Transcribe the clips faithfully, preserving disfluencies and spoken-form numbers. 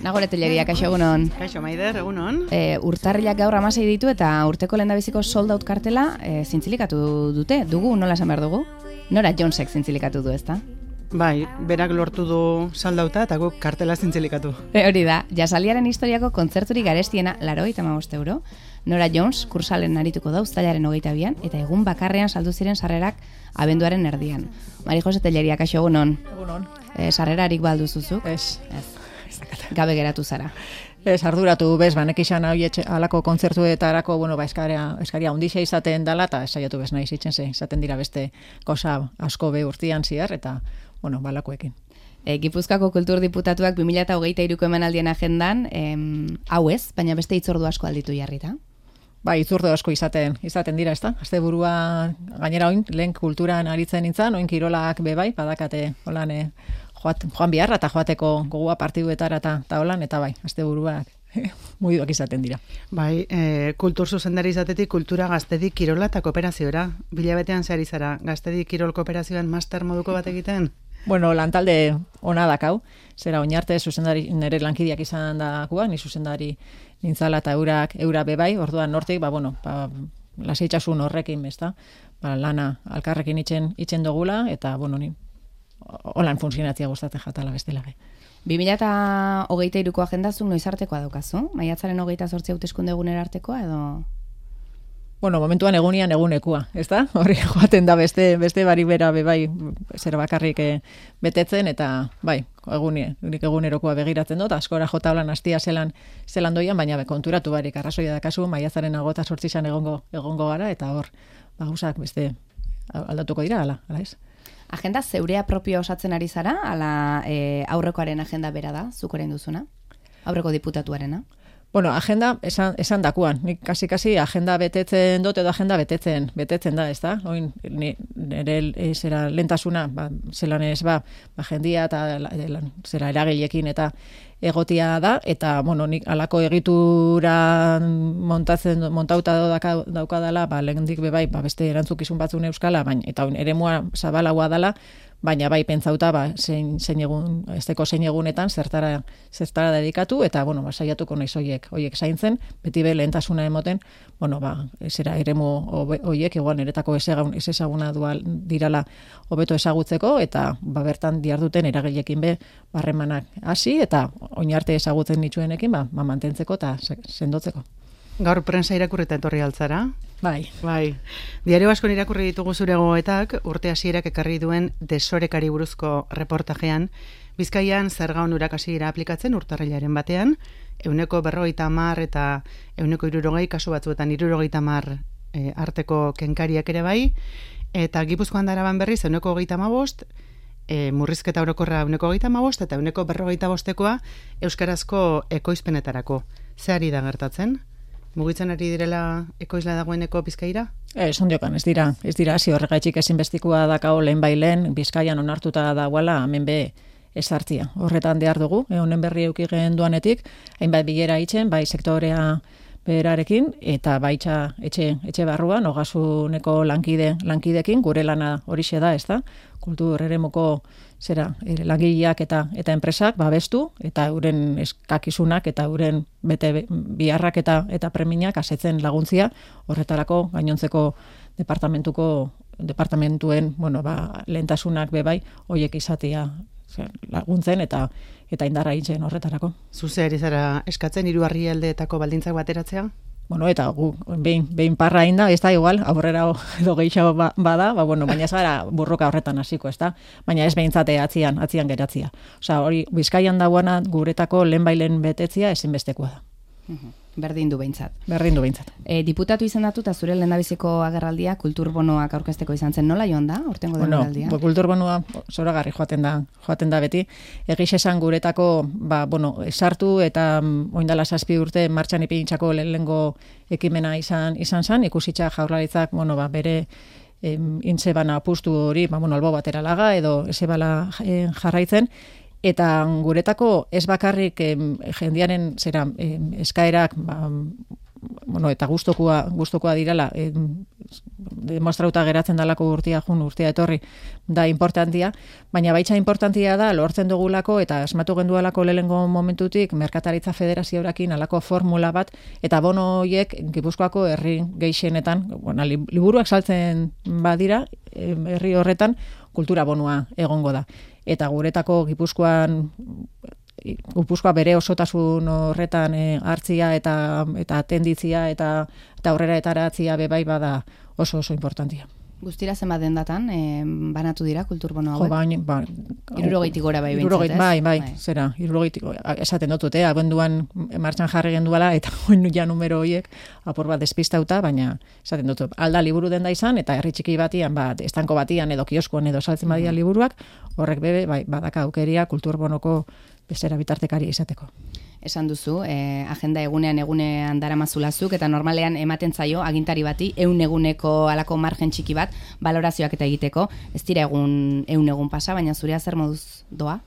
Nagore Telleria, kaixo egunon. Kaixo Maider, egunon. E, urtarrilak gaur hamasei ditu eta urteko lehendabiziko sold out kartela e, zintzilikatu dute. Dugu, nola esan behar dugu? Nora Jonesek zintzilikatu du, ezta? Bai, berak lortu du saldauta eta guk kartela zintzilikatu. E, hori da, jasaliaren historiako kontzerturik garestiena larogeita hamabost euro. Nora Jones kursalen arituko da uztailaren hogeita bian eta egun bakarrean saldu ziren sarrerak abenduaren erdian. Mari Jose Telleria, kaixo egunon. Egunon. E, sarrerarik baldu zuzuk? Ez. Ez. Gabe geratu zara. Ez, arduratu bez, ba, nekixan hau alako kontzertuetarako, bueno, ba, eskaria, eskaria ondixea izaten dala, eta esaiatu bez nahi zitzen ze, izaten dira beste kosa asko be urtian ziar, eta, bueno, balakoekin. E, Gipuzkoako kultur diputatuak bi mila hogeita hiruko emanaldien agendan, em, hau ez, baina beste hitzordu asko alditu jarrita. Ba, itzurdo asko izaten izaten dira, ezta? Asteburua gainera oin, lehen kulturan aritzen nintzen, oin kirolak bebai, badakate, holan, eh, Joat, joan biharra eta joateko gogua partiduetara eta ta holan, eta bai, asteburuak mugiduak izaten dira. Bai, e, kultur zuzendari izatetik kultura gaztedik kirola eta kooperaziora. Bilabetean zehar izara, gaztedik kirol kooperazioan master moduko bat egiten? Bueno, lantalde ona dakau, zera oinarte zuzendari nire lankideak izan dakuak, ni zuzendari nintzala eta eurak, eura bebai, orduan nortik, ba, bueno, ba, lasaitasun horrekin, ezta? Ba, lana alkarrekin itzen, itzen dugula, eta, bueno, ni holan funtzionatzia gustatzen jatala bestela gai. bi mila hogeita hiruko agendazuk noiz artekoa daukazu? Maiatzaren hogeita zortzi hauteskunde egunera artekoa edo? Bueno, momentuan egunian egunekua, ezta? Horri joaten da beste beste bari bera bebai zer bakarrik e, betetzen eta bai, egunie, unik egunerokoa begiratzen dut, askora jota holan hastia zelan zelan doian, baina be, konturatu barik arrazoia dakazu, maiatzaren hogeita zortzian egongo egongo gara eta hor ba gauzak beste aldatuko dira hala, hala ez? Agenda zeurea propio osatzen ari zara, ala e, aurrekoaren agenda bera da, zuk orain duzuna? Aurreko diputatuarena? Bueno, agenda esan, esan dakuan. Nik kasi-kasi agenda betetzen dut edo agenda betetzen, betetzen da, ez da? Oin, nire zera lentasuna, ba, zelan ez ba, ba jendia eta zera eragilekin eta egotia da, eta, bueno, nik alako egitura montatzen, montauta dauka, daukadala, ba, lehendik bebai, ba, beste erantzukizun batzun euskala, baina, eta oin, eremua zabalagoa dala, baina bai pentsauta ba zein zein egun esteko zein egunetan zertara zertara dedikatu eta bueno ba saiatuko naiz hoiek hoiek zaintzen beti be lehentasuna emoten bueno ba esera eremu hoiek igual niretako esegaun ezaguna dual dirala hobeto ezagutzeko eta ba bertan diharduten eragileekin be harremanak hasi eta oin arte ezagutzen nituenekin ba, ba mantentzeko eta sendotzeko. Gaur prensa irakurrita etorri altzara? Bai. Bai. Diario askon irakurri ditugu zure gogoetak, urte hasierak ekarri duen desorekari buruzko reportajean, Bizkaian zerga onurak hasiera aplikatzen urtarrilaren batean, ehuneko berrogeita hamar eta ehuneko hirurogei kasu batzuetan hirurogeita hamar e, arteko kenkariak ere bai, eta Gipuzkoan da Araban berriz ehuneko hogeita hamabost, e, murrizketa orokorra ehuneko hogeita hamabost eta ehuneko berrogeita bostekoa euskarazko ekoizpenetarako. Ze ari da gertatzen? Mugitzen ari direla ekoizla dagoeneko Bizkaira? Ez, ondiokan, ez dira, ez dira, hasi horregaitxik ezinbestikoa dakao lehen bailen, Bizkaian onartuta dagoela, hemen be ezartzia. Horretan behar dugu, honen berri eukigen duanetik, hainbat bilera itzen, bai sektorea berarekin, eta baitza etxe, etxe barruan, ogasuneko lankide, lankidekin, gure lana horixe da, ez da? Kultur eremuko zera, langileak eta eta enpresak babestu eta euren eskakizunak eta euren bete biharrak eta eta premiak asetzen laguntzia horretarako gainontzeko departamentuko departamentuen, bueno, ba lehentasunak bebai hoiek izatea laguntzen eta eta indarra itzen horretarako. Zuze ari zara eskatzen hiru herrialdeetako baldintzak bateratzea? Bueno, eta gu behin behin parra inda, ez da igual, aurrera edo gehiago ba, bada, ba bueno, baina ez gara burroka horretan hasiko, ez da? Baina ez behintzate atzian, atzian geratzia. Osea, hori Bizkaian dagoena guretako lehenbailen betetzia ezinbestekoa da. Berdin du behintzat. Berdin du behintzat. E, diputatu izendatu eta zure lehendabiziko agerraldia kulturbonoak aurkezteko izan zen, nola joan da? Hortengo bueno, denboraldia? Bueno, kulturbonoa zoragarri joaten da, joaten da beti. Egiz esan guretako, ba, bueno, sartu eta mm, oindala zazpi urte martxan ipintzako lehenengo ekimena izan izan zen, ikusitza jaurlaritzak, bueno, ba, bere em, intze bana apustu hori, ba, bueno, albo batera laga edo eze bala eh, jarraitzen, eta guretako ez bakarrik em, jendiaren zera em, eskaerak ba, bueno, eta gustokoa gustokoa dirala em, demostrauta geratzen dalako urtia jun, urtia etorri, da importantia, baina baitza importantia da, lortzen dugulako eta asmatu gendualako lehengo momentutik, Merkataritza Federazioarekin alako formula bat, eta bono horiek Gipuzkoako herri gehienetan, bueno, liburuak saltzen badira, herri horretan, kultura bonua egongo da. Eta guretako Gipuzkoan Gipuzkoa bere osotasun horretan e, hartzia eta eta atenditzia eta eta aurrera etaratzia bebai bada oso oso importantia. Guztira zenbat dendatan e, banatu dira kulturbono hauek? Jo, baina, ba, irurogeitik gora bai behintzat, ez? Bai, bai, bai, zera, irurogeitik, esaten dut, eh, abenduan martxan jarri genduala, eta oin ja numero horiek apur bat despistauta, baina esaten dut, alda liburu denda izan, eta herri txiki batian, bat, estanko batian, edo kioskoan, edo saltzen badia liburuak, horrek bebe, bai, badaka aukeria kulturbonoko bezera bitartekaria izateko. Esan duzu, eh, agenda egunean egunean daramazulazuk eta normalean ematen zaio agintari bati ehun eguneko alako margen txiki bat balorazioak eta egiteko. Ez dira egun ehun egun pasa, baina zurea zer moduz doa?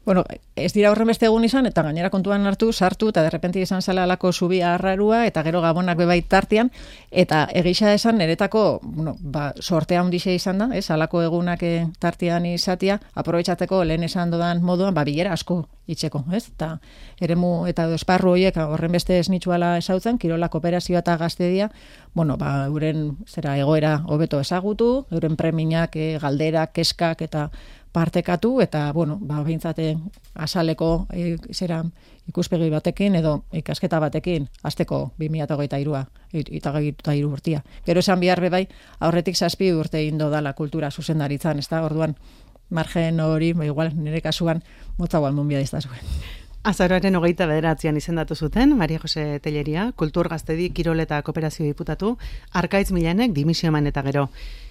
Bueno, ez dira horren beste egun izan, eta gainera kontuan hartu, sartu, eta derrepenti izan zela alako zubia arrarua, eta gero gabonak bebait tartian, eta egisa esan niretako, bueno, ba, sortea handixe izan da, ez, alako egunak tartian izatia, aprobetxateko lehen esan dodan moduan, ba, bilera asko itxeko, ez, eta eremu eta esparru horiek horren beste esnitzuala esautzen, kirola kooperazioa eta gaztedia, bueno, ba, euren zera egoera hobeto ezagutu, euren preminak, e, galderak, keskak, eta partekatu, eta, bueno, ba, behintzate asaleko e, zera ikuspegi batekin, edo ikasketa batekin, azteko bi mila hogeita hirua, eta hogeita hiru urtia. Gero esan behar bebai, aurretik zazpi urte indo dala kultura zuzendaritzan, ez da, orduan, margen hori, ba, igual, nire kasuan, motza guan munbia diztazuen. Azaroaren hogeita bederatzean izendatu zuten, Maria Jose Telleria, Kultur Gaztedi Kirol eta Kooperazio diputatu, Arkaitz Milanek dimisio eman eta gero.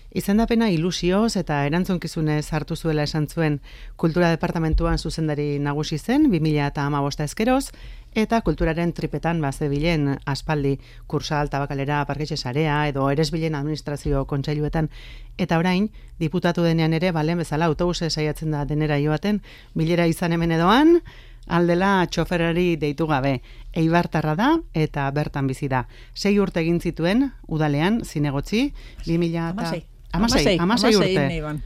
Izendapena ilusioz eta erantzunkizunez hartu zuela esan zuen Kultura Departamentuan zuzendari nagusi zen bi mila hamabost ezkeroz, eta kulturaren tripetan bazebilen aspaldi Kursal, Tabakalera, Parketxe Sarea edo Eresbilen Administrazio Kontseiluetan, eta orain diputatu denean ere balen bezala autobuse saiatzen da denera joaten, bilera izan hemen edoan, aldela txoferari deitu gabe. Eibartarra da eta bertan bizi da. Sei urte egin zituen udalean zinegotzi, bi mila Amasei, amasei urte.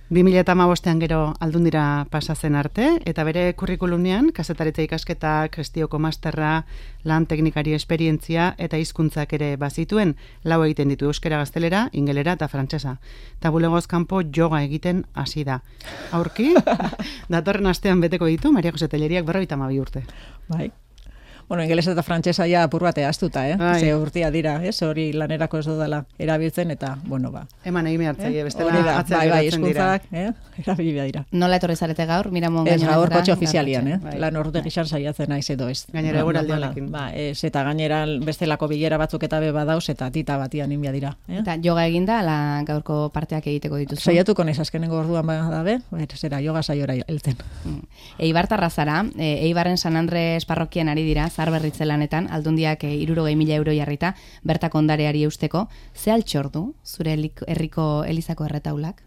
bi mila hamabostean gero Aldundira pasatzen arte, eta bere kurrikulunean kazetaritza ikasketak, gestioko masterra, lan teknikari esperientzia eta hizkuntzak ere bazituen, lau egiten ditu euskera, gaztelera, ingelera eta frantsesa. Eta bulegoz kanpo yoga egiten hasi da. Aurki, datorren astean beteko ditu, Maria Jose Telleriak berrogeita hamabi urte. Bai. Bueno, ingelesa eta frantsesa ja apur bate astuta, eh? Bai. Ze urtia dira, ez? Hori lanerako ez dudala erabiltzen, eta, bueno, ba. Eman egin behartzaile, Eh? bestela Hori da, atzera bai, bai, geratzen dira. hizkuntzak, eh? Erabili dira. Nola etorri zarete gaur, Miramon Ez, gainera? gaur kotxe ofizialian, eh? bai. Lan ordu gizan saiatzen naiz edo ez. Gainera Ba, eguraldiarekin. Ba, ez, eta gainera bestelako bilera batzuk eta be badauz, eta tita batian inbia dira. Eh? Eta yoga eginda, ala gaurko parteak egiteko dituzu. Saiatuko naiz azkenengo orduan badabe, eta zera, yoga saiora heltzen. Mm. Eibartarra zara, e, Eibarren San Andres parrokian ari dira, zarberritze lanetan, aldundiak e, irurogei mila euro jarrita, bertako ondareari eusteko. Ze altxor du, zure helik- herriko elizako erretaulak?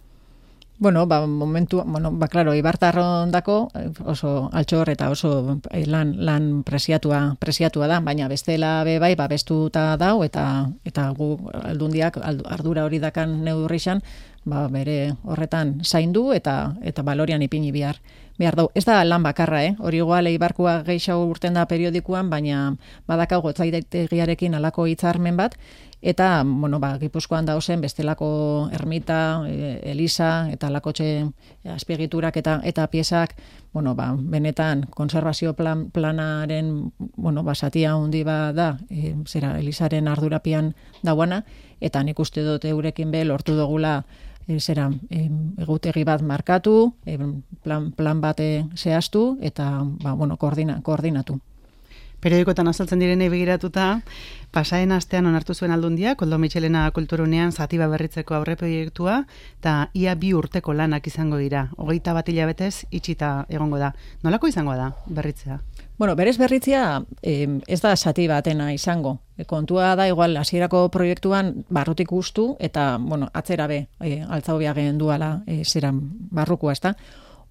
Bueno, ba, momentu, bueno, ba, klaro, Eibartarrondako oso altxor eta oso lan, lan presiatua, presiatua da, baina bestela be bai, ba, bestuta dau, eta, eta gu aldundiak ardura hori dakan neurrixan, ba, bere horretan zaindu eta eta balorian ipini behar. Behar dau. Ez da lan bakarra, eh? Hori igual Eibarkoa gehiago urten da periodikoan, baina badakau gotzaitegiarekin alako hitzarmen bat, eta, bueno, ba, Gipuzkoan dauzen bestelako ermita, e, eliza, eta lakotxe azpiegiturak eta eta piezak, bueno, ba, benetan konservazio plan, planaren, bueno, basatia handi ba da, e, zera, elizaren ardurapian dauana, eta nik uste dut eurekin be lortu dugula e, zera, e, egutegi bat markatu, e, plan, plan bate zehaztu, eta, ba, bueno, koordina, koordinatu. Periodikotan azaltzen direnei begiratuta, pasaen astean onartu zuen Aldundia, Koldo Mitxelena kulturunean zatiba berritzeko aurre proiektua, eta ia bi urteko lanak izango dira. Hogeita bat hilabetez itxita egongo da. Nolako izango da berritzea? Bueno, berez berritzea eh, ez da zati batena izango. E, kontua da, igual, hasierako proiektuan barrutik guztu, eta, bueno, atzera be, e, altzau biagen duala e, zeran barrukua, ez da?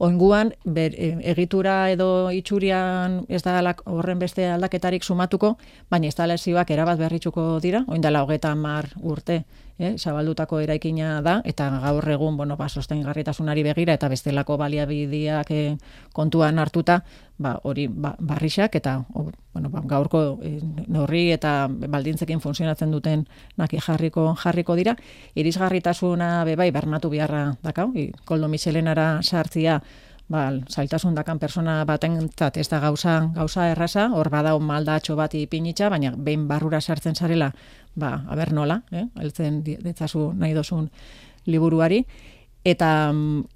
Oinguan, ber, egitura edo itxurian ez da horren beste aldaketarik sumatuko, baina instalazioak erabat berritzuko dira, oin dela hogeta hamar urte, eh, zabaldutako eraikina da, eta gaur egun, bueno, ba, sostengarritasunari begira, eta bestelako baliabideak eh, kontuan hartuta, ba, hori ba, barrixak, eta o, bueno, ba, gaurko eh, neurri eta baldintzekin funtzionatzen duten naki jarriko jarriko dira. Irisgarritasuna bebai bermatu beharra dakau, Koldo Mitxelenara sartzia, ba, zailtasun dakan persona batentzat ez da gauza, gauza erraza, hor badao maldatxo bat ipinitza, baina behin barrura sartzen zarela, ba, aber nola, eh? Heltzen ditzazu nahi dozun liburuari, eta,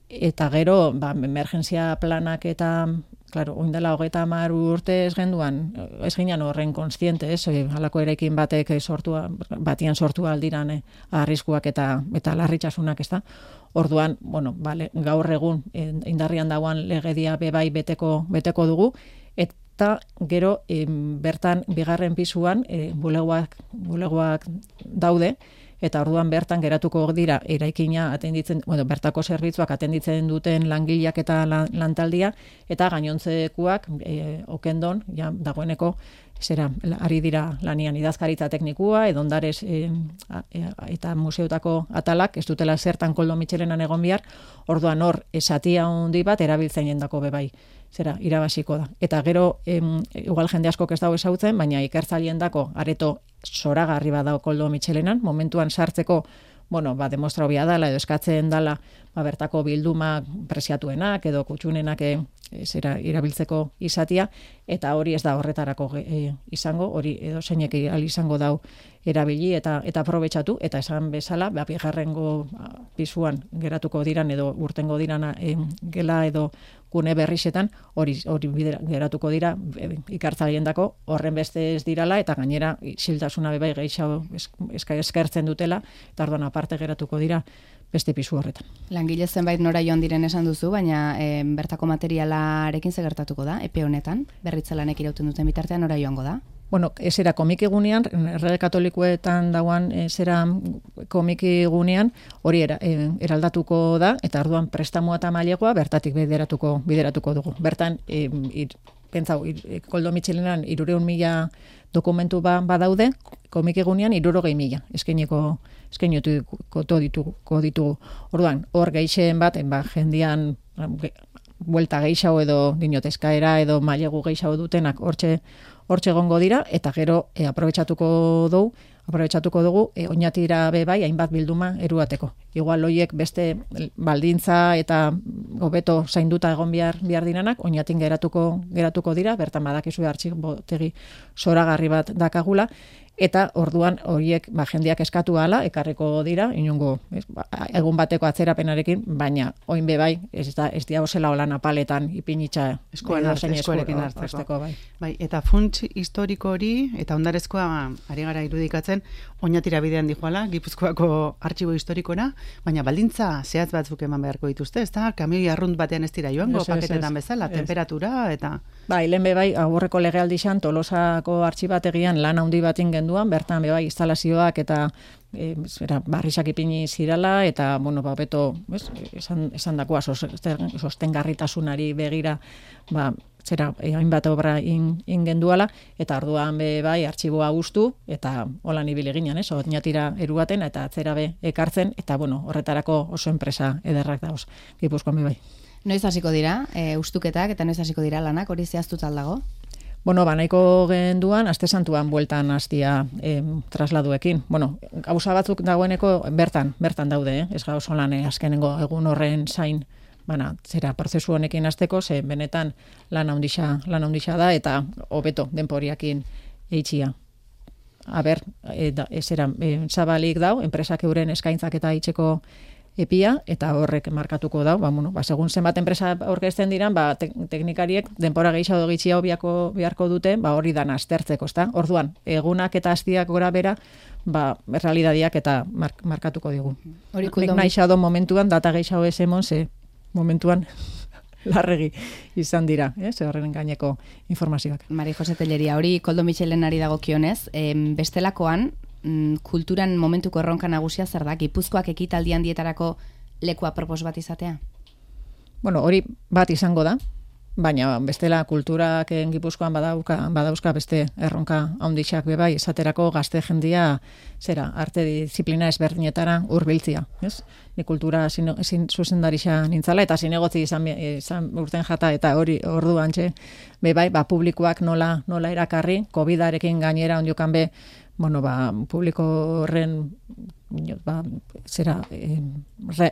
eta gero, ba, emergentzia planak eta, claro, oindela hogeita hamar urte ez genduan, ez ginean horren konstiente, ez, halako eraikin batek sortua, batian sortu aldiran eh, arriskuak eta, eta larritasunak, ez da. Orduan, bueno, vale, gaur egun indarrian dagoan legedia bebai beteko, beteko dugu, eta gero em, bertan bigarren pisuan e, bulegoak, bulegoak daude, eta orduan bertan geratuko dira eraikina atenditzen, bueno, bertako zerbitzuak atenditzen duten langileak eta lan, lantaldia, eta gainontzekuak e, okendon, ja, dagoeneko, zera, ari dira lanian idazkaritza teknikua, edo ondarez e, eta museotako atalak, ez dutela zertan Koldo Mitxelenan egon bihar, orduan hor, esatia handi bat erabiltzen jendako bebai, zera, irabasiko da. Eta gero, em, igual jende asko ez dago ezagutzen, baina ikertzaileen dako areto zoragarri badao Koldo Mitxelenan, momentuan sartzeko, bueno, ba, demostrau bia dala, edo eskatzen dala, ba, bertako bildumak preziatuenak, edo kutxunenak e, zera, irabiltzeko izatia, eta hori ez da horretarako e, izango, hori edo zeinek izango dau erabili eta eta aprobetxatu, eta esan bezala, ba, bigarrengo pisuan geratuko diran, edo urtengo diran e, gela edo gune berrisetan, hori hori geratuko dira e, ikartzaileendako horren beste ez dirala, eta gainera isiltasuna bebai gehiago eskertzen dutela, eta orduan aparte geratuko dira beste pisu horretan. Langile zenbait nora joan diren esan duzu, baina e, bertako materialarekin ze gertatuko da, epe honetan, berritzelanek irauten duten bitartean nora joango da? Bueno, esera komikigunean, errege katolikoetan dauan esera komikigunean, hori era, e, eraldatuko da, eta orduan prestamoa eta mailegoa bertatik bideratuko, bideratuko dugu. Bertan, e, ir, pentsau, ir, Koldo Mitxelenan irureun mila dokumentu ba, badaude, komikigunean irurogei mila, eskaineko eskaineko ditugu, ditugu. Orduan, hor geixen bat, ba, jendian ge, buelta geixau edo dinotezkaera edo mailegu geixau dutenak hortxe hortxe egongo dira, eta gero e, aprobetxatuko dugu, aprobetxatuko dugu, e, oinatira be bai, hainbat bilduma eruateko. Igual hoiek beste baldintza eta hobeto zainduta egon behar, behar diranak, oinatin geratuko, geratuko dira, bertan badakizu artxibotegi zoragarri bat dakagula, eta orduan horiek ba, jendeak eskatu hala, ekarriko dira, inungo ez, ba, egun bateko atzerapenarekin, baina oin be bai, ez da ez dia osela hola napaletan ipinitza eskuan eskuarekin hartzeko. Bai. Bai, eta funts historiko hori, eta ondarezkoa ari gara irudikatzen, oinatira bidean dijoala, Gipuzkoako artxibo historikora, baina baldintza zehatz batzuk eman beharko dituzte, ez da, kamioi arrunt batean ez dira joango, es, paketetan es, bezala, es. Temperatura, eta... Bai, lehen be bai, aurreko legealdixan Tolosako artxibategian lan handi batin genduan, bertan be bai, instalazioak eta e, zera, barrisak ipini zirala, eta, bueno, ba, beto, ez, esan, esan dakoa, sostengarritasunari begira, ba, zera, hainbat obra in, ingenduala, eta orduan be bai, artxiboa guztu, eta holan ibili ginen, ez, oinatira eruaten, eta atzera be ekartzen, eta, bueno, horretarako oso enpresa ederrak dauz, Gipuzkoan be bai. Noiz hasiko dira, e, ustuketak, eta noiz hasiko dira lanak, hori zehaztut aldago? Bueno, ba, nahiko genduan, aste santuan bueltan hastia eh, trasladuekin. Bueno, gauza batzuk dagoeneko bertan, bertan daude, eh? Ez gauzo lan eh, azkenengo egun horren zain, bana, zera, prozesu honekin hasteko, ze benetan lan handixa, lan handixa da, eta hobeto denporiakin eitxia. A ber, e, da, ezera, e, zabalik dau, enpresak euren eskaintzak eta itxeko epia, eta horrek markatuko dau, ba, bueno, ba, segun zenbat enpresa aurkezten diran, ba, te teknikariek denpora gehiago gitxia biako beharko dute, ba, hori dan aztertzeko, ezta? Orduan, egunak eta astiak gora bera, ba, realidadiak eta mark markatuko digu. Hori Nik nahi xado momentuan, data gehiago ez emon, ze momentuan larregi izan dira, eh? Ze horren gaineko informazioak. Mari Jose Telleria, hori Koldo Mitxelenari dagokionez, em, bestelakoan, kulturan momentuko erronka nagusia zer da, Gipuzkoak ekitaldi handietarako lekua propos bat izatea? Bueno, hori bat izango da, baina bestela kulturak Gipuzkoan badauka, badauzka beste erronka handixak bebai, esaterako gazte jendia zera, arte disiplina ezberdinetara hurbiltzia, ez? Ni kultura zuzendarixa nintzala, eta zinegotzi izan, izan urten jata, eta hori orduan txe, bebai, ba, publikoak nola, nola erakarri, covidarekin gainera ondiokan be, bueno, ba, publiko horren ba, zera, eh,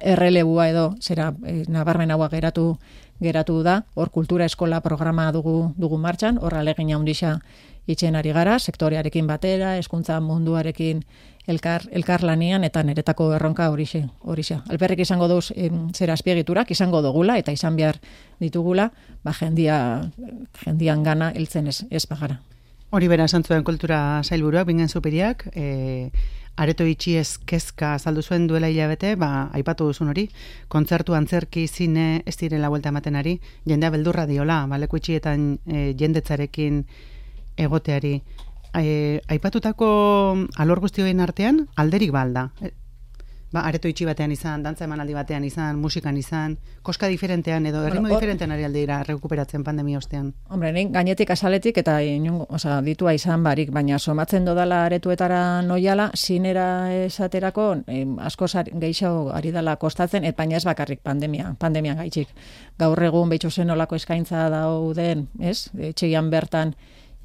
errelebua edo, zera, eh, nabarmen hauak geratu geratu da, hor kultura eskola programa dugu dugu martxan, hor alegin handixa itxen ari gara, sektorearekin batera, hezkuntza munduarekin elkar, elkar lanian, eta niretako erronka horixe, horixe. Alperrik izango duz, em, zera azpiegiturak, izango dugula, eta izan behar ditugula, ba, jendia, jendian gana heltzen ez, ez bagara. Hori bera esan zuen kultura sailburuak, bingen superiak, e, areto itxiez kezka azaldu zuen duela hilabete, ba, aipatu duzun hori, kontzertu, antzerki, zine, ez direla buelta ematen ari, jendea beldurra diola, ba, leku itxietan e, jendetzarekin egoteari. E, aipatutako alor guztioen artean, alderik balda. E, ba, areto itxi batean izan, dantza emanaldi batean izan, musikan izan, koska diferentean edo erritmo bueno, diferentean ari aldira rekuperatzen pandemia ostean. Hombre, nik gainetik azaletik eta inungo, oza, ditua izan barik, baina somatzen dodala aretuetara noiala, zinera esaterako eh, asko gehiago ari dala kostatzen, et baina ez bakarrik pandemia, pandemia gaitxik. Gaur egun behitxo zen olako eskaintza dauden, ez? Etxegian bertan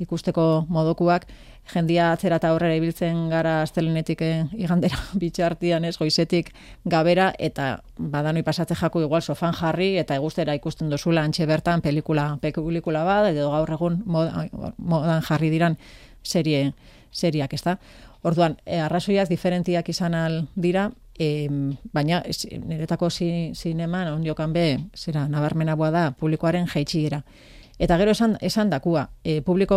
ikusteko modukuak, jendia atzera eta aurrera ibiltzen gara astelenetik igandera bitxartian, ez, goizetik gabera, eta badanoi pasatze jako igual sofan jarri, eta egustera ikusten dozula antxe bertan pelikula, pelikula bat, edo gaur egun modan, modan jarri diran serie, seriak, ez da? Orduan, e, arrazoiaz diferentiak izan al dira, e, baina niretako zi, zineman, ondiokan be, zera, nabarmenagoa da, publikoaren jaitxiera. Eta gero esan, esan dakua, e, publiko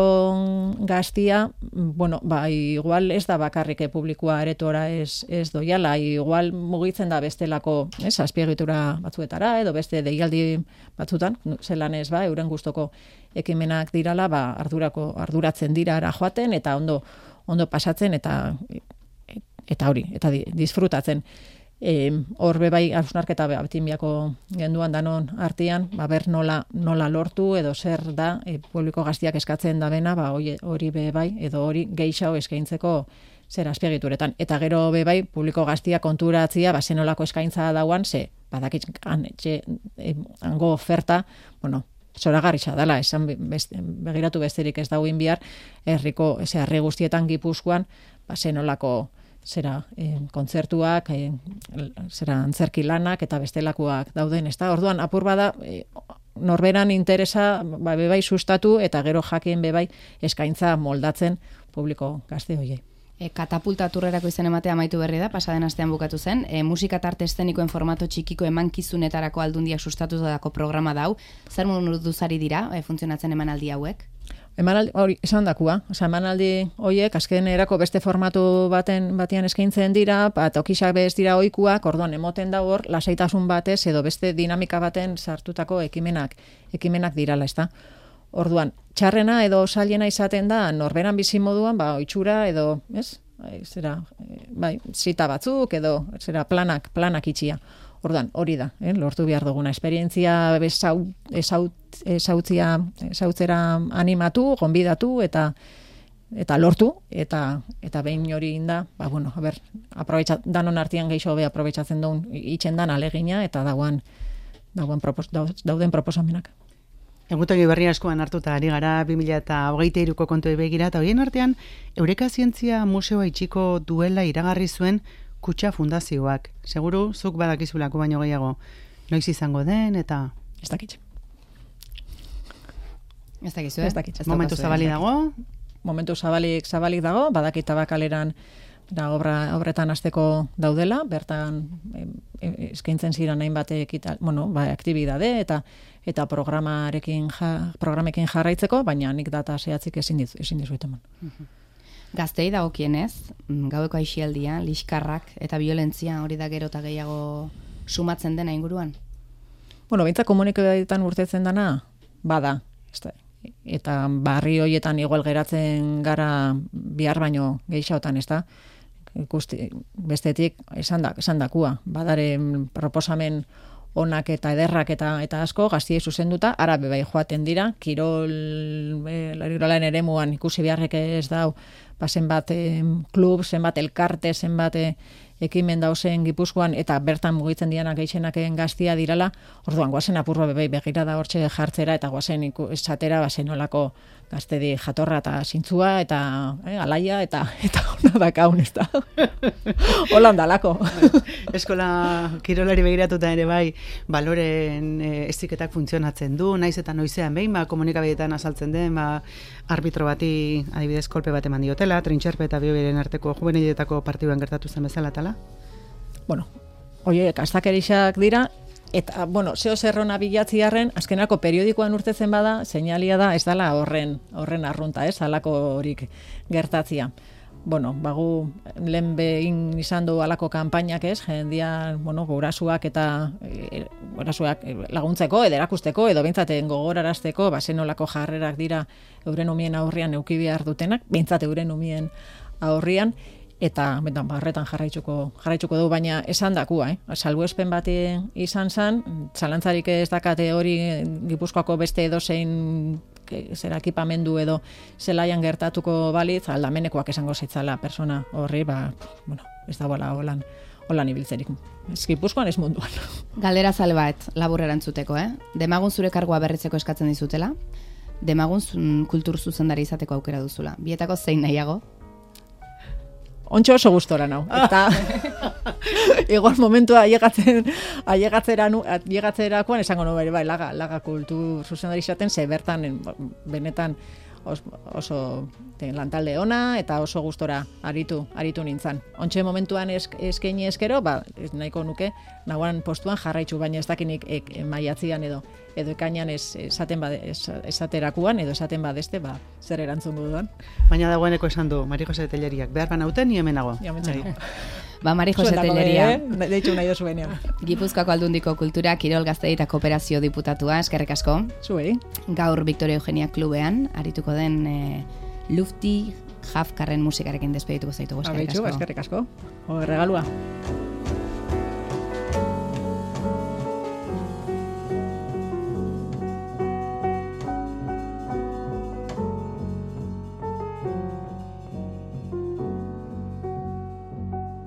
gaztia, bueno, ba, igual ez da bakarrik publikoa aretora ez, ez doiala, igual mugitzen da bestelako, ez, azpiegitura batzuetara, edo beste deialdi batzutan, zelan ez ba, euren gustoko ekimenak dirala, ba, ardurako, arduratzen dira ara joaten, eta ondo, ondo pasatzen, eta eta hori, eta disfrutatzen. Hor e, bebai hausnarketa batinbiako genduan danon artean, ba, ber nola, nola lortu edo zer da e, publiko gaztiak eskatzen da bena, ba, hori bebai edo hori gehiago eskaintzeko zer azpiegituretan. Eta gero bebai publiko gaztia konturatzia, ba, zenolako eskaintza dauan, ze badakit etxe, e, hango oferta, bueno, zoragarritza dela, esan beste, begiratu besterik ez dauin bihar, herriko, ze herri guztietan Gipuzkoan, ba, zenolako zera eh, kontzertuak, eh, zera antzerki lanak eta bestelakoak dauden, ezta? Orduan apur bada eh, norberan interesa ba, bebai sustatu eta gero jakin bebai eskaintza moldatzen publiko gazte hoiei. E, katapulta turrerako izen ematea amaitu berri da, pasaden astean bukatu zen. E, musika tarte eszenikoen formato txikiko emankizunetarako aldundiak sustatutako programa dau. Zer moduzari dira e, funtzionatzen emanaldi hauek? Emanaldi hori esan dakua, osea emanaldi hoiek azken erako beste formatu baten batean eskaintzen dira, ba tokisak bez dira ohikuak, orduan emoten da hor lasaitasun batez edo beste dinamika baten sartutako ekimenak, ekimenak dirala, ezta? Orduan, txarrena edo zailena izaten da norberan bizi moduan, ba ohitura edo, ez? Zera, bai, zita batzuk edo zera planak, planak itxia. Orduan, hori da, eh? Lortu behar duguna esperientzia esautzia esautzera animatu, gonbidatu eta eta lortu eta eta behin hori inda, ba bueno, a ber, aprobetxa danon artean geixo be aprobetxatzen duen itzen dan alegina eta dagoan dagoen propos, dauden proposamenak. Egutegi berri askoan hartuta ari gara bi mila hogeita hiruko kontuei begira, eta horien artean Eureka Zientzia Museoa itxiko duela iragarri zuen Kutxa Fundazioak. Seguru, zuk badakizulako baino gehiago. Noiz izango den, eta... Ez dakit. Ez dakizu, eh? Ez dakit. Momentu zabalik dago? Momentu zabalik, zabalik dago, badakit tabakaleran da obra, obretan hasteko daudela, bertan e, eskaintzen ziren hainbat ekita, bueno, ba, aktibidade eta eta programarekin ja, programekin jarraitzeko, baina nik data zehatzik ezin dizu, ezin dizuet eman. Uh-huh. Gaztei dagokienez, gaueko aisialdia, liskarrak eta violentzia hori da gero eta gehiago sumatzen dena inguruan? Bueno, behintzat komunikabideetan urtetzen dana, bada. Eta barri horietan igual geratzen gara bihar baino gehiagotan, ez da? Ikusti, bestetik esan, da, esan dakua. Badaren proposamen onak eta ederrak eta eta asko gaztiei zuzenduta, ara bebai joaten dira, kirol e, kirolaren eremuan ikusi beharrek ez dau, ba, zenbat e, klub, zenbat elkarte, zenbat e, ekimen dauzen Gipuzkoan, eta bertan mugitzen dianak gehienak gaztia dirala, orduan guazen apurro bebai begira da hortxe jartzera, eta guazen esatera bazen olako gaztedi jatorra eta zintzua, eta eh, alaia, eta eta hona dakaun, ez da. Holan dalako. Eskola kirolari begiratuta ere bai, baloren e, eziketak funtzionatzen du, naiz eta noizean behin, ba, komunikabideetan azaltzen den, ba, arbitro bati adibidez kolpe bat eman diotela, Trintxerpe eta Biobiren arteko juveniletako partiduan gertatu zen bezala tala? Bueno, oiek, astakerixak dira, eta, bueno, zeo zerrona bilatziarren, azkenako periodikoan urtetzen bada, seinalia da, ez dala horren, horren arrunta, ez, alako horik gertatzia. Bueno, bagu, lehen behin izan du alako kanpainak ez, jendia, bueno, gurasuak eta e, gurasuak laguntzeko, edo erakusteko, edo bintzaten gogorarazteko, bazen olako jarrerak dira euren umien aurrian euki behar dutenak, bintzate euren umien aurrian, eta betan barretan jarraitzuko jarraitzuko du, baina esan dakua, eh? Salbuespen bat izan zen, zalantzarik ez dakate hori Gipuzkoako beste edozein zera ekipamendu edo zelaian gertatuko balitz, aldamenekoak esango zitzala persona horri, ba, bueno, ez da bola holan, holan ibiltzerik. Ez Gipuzkoan ez munduan. Galdera zale bat, labur erantzuteko, eh? Demagun zure kargua berritzeko eskatzen dizutela, demagun kultur zuzendari izateko aukera duzula. Bietako zein nahiago? Ontxo oso gustora nau. Eta igual momentua ailegatzen ailegatzerakoan esango no bere bai laga laga kultur zuzendari izaten ze bertan benetan os, oso lantalde ona eta oso gustora aritu aritu nintzan. Ontxe momentuan eskaini eskero, ba ez nahiko nuke nagoan postuan jarraitzu, baina ez dakinik e, maiatzian edo edo ekainan ez esaten bade esaterakuan edo esaten badeste, ba zer erantzun dudan. Baina dagoeneko esan du Mari Jose Telleriak, behar banauten ni hemenago. Ja, mentzago. Ba, Mari Jose Telleria. Eh? Deitu nahi dozuenean. Gipuzkoako Aldundiko Kultura, Kirol Gaztedi eta Kooperazio diputatua, eskerrik asko. Zuei. Gaur Victoria Eugenia Klubean, arituko den e, Lufti Jafkarren musikarekin despedituko zaitugu, eskerrik asko. Eskerrik asko. Ho, regalua.